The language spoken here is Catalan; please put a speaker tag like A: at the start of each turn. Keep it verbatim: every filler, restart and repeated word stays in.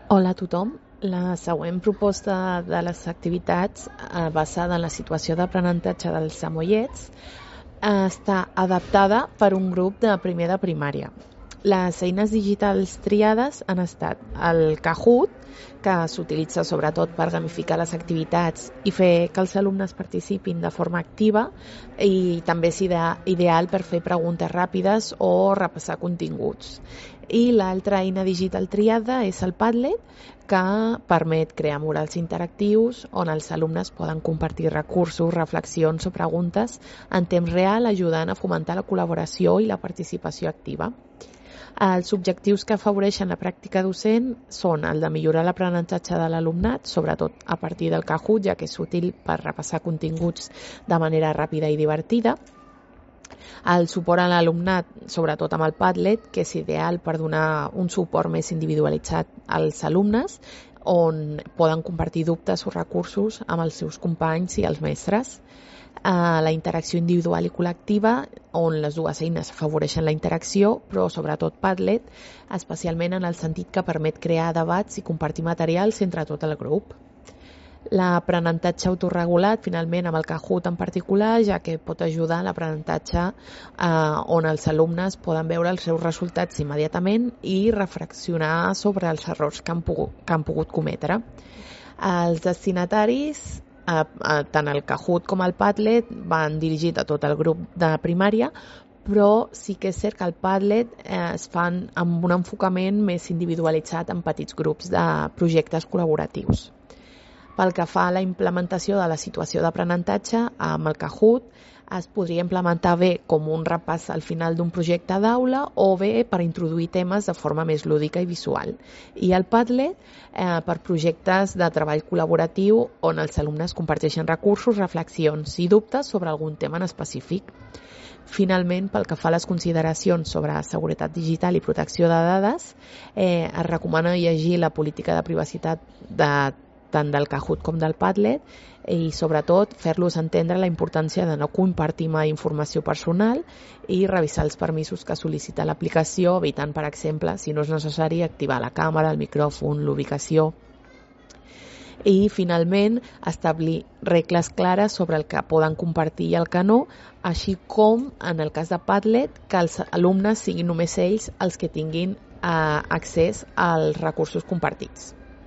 A: Hola a tothom. La següent proposta de les activitats eh, basada en la situació d'aprenentatge dels samoiets eh, està adaptada per un grup de primer de primària. Les eines digitals triades han estat el Kahoot, que s'utilitza sobretot per gamificar les activitats i fer que els alumnes participin de forma activa, i també és idea- ideal per fer preguntes ràpides o repassar continguts. I l'altra eina digital triada és el Padlet, que permet crear murals interactius on els alumnes poden compartir recursos, reflexions o preguntes en temps real, ajudant a fomentar la col·laboració i la participació activa. Els objectius que afavoreixen la pràctica docent són el de millorar l'aprenentatge de l'alumnat, sobretot a partir del Kahoot, ja que és útil per repassar continguts de manera ràpida i divertida. El suport a l'alumnat, sobretot amb el Padlet, que és ideal per donar un suport més individualitzat als alumnes, on poden compartir dubtes o recursos amb els seus companys i els mestres. Uh, la interacció individual i col·lectiva, on les dues eines afavoreixen la interacció, però sobretot Padlet, especialment en el sentit que permet crear debats i compartir materials entre tot el grup. L'aprenentatge autorregulat, finalment, amb el Kahoot en particular, ja que pot ajudar a l'aprenentatge eh, on els alumnes poden veure els seus resultats immediatament i reflexionar sobre els errors que han pogut, que han pogut cometre. Els destinataris, eh, eh, tant el Kahoot com el Padlet, van dirigit a tot el grup de primària, però sí que és cert que el Padlet eh, es fan amb un enfocament més individualitzat en petits grups de projectes col·laboratius. Pel que fa a la implementació de la situació d'aprenentatge, amb el Kahoot es podria implementar bé com un repàs al final d'un projecte d'aula o bé per introduir temes de forma més lúdica i visual. I el Padlet eh, per projectes de treball col·laboratiu on els alumnes comparteixen recursos, reflexions i dubtes sobre algun tema en específic. Finalment, pel que fa a les consideracions sobre seguretat digital i protecció de dades, eh, es recomana llegir la política de privacitat de tant del Kahoot com del Padlet i sobretot fer-los entendre la importància de no compartir mai informació personal i revisar els permisos que sol·licita l'aplicació, evitant, per exemple, si no és necessari, activar la càmera, el micròfon, l'ubicació. I finalment establir regles clares sobre el que poden compartir i el que no, així com en el cas de Padlet que els alumnes siguin només ells els que tinguin eh, accés als recursos compartits.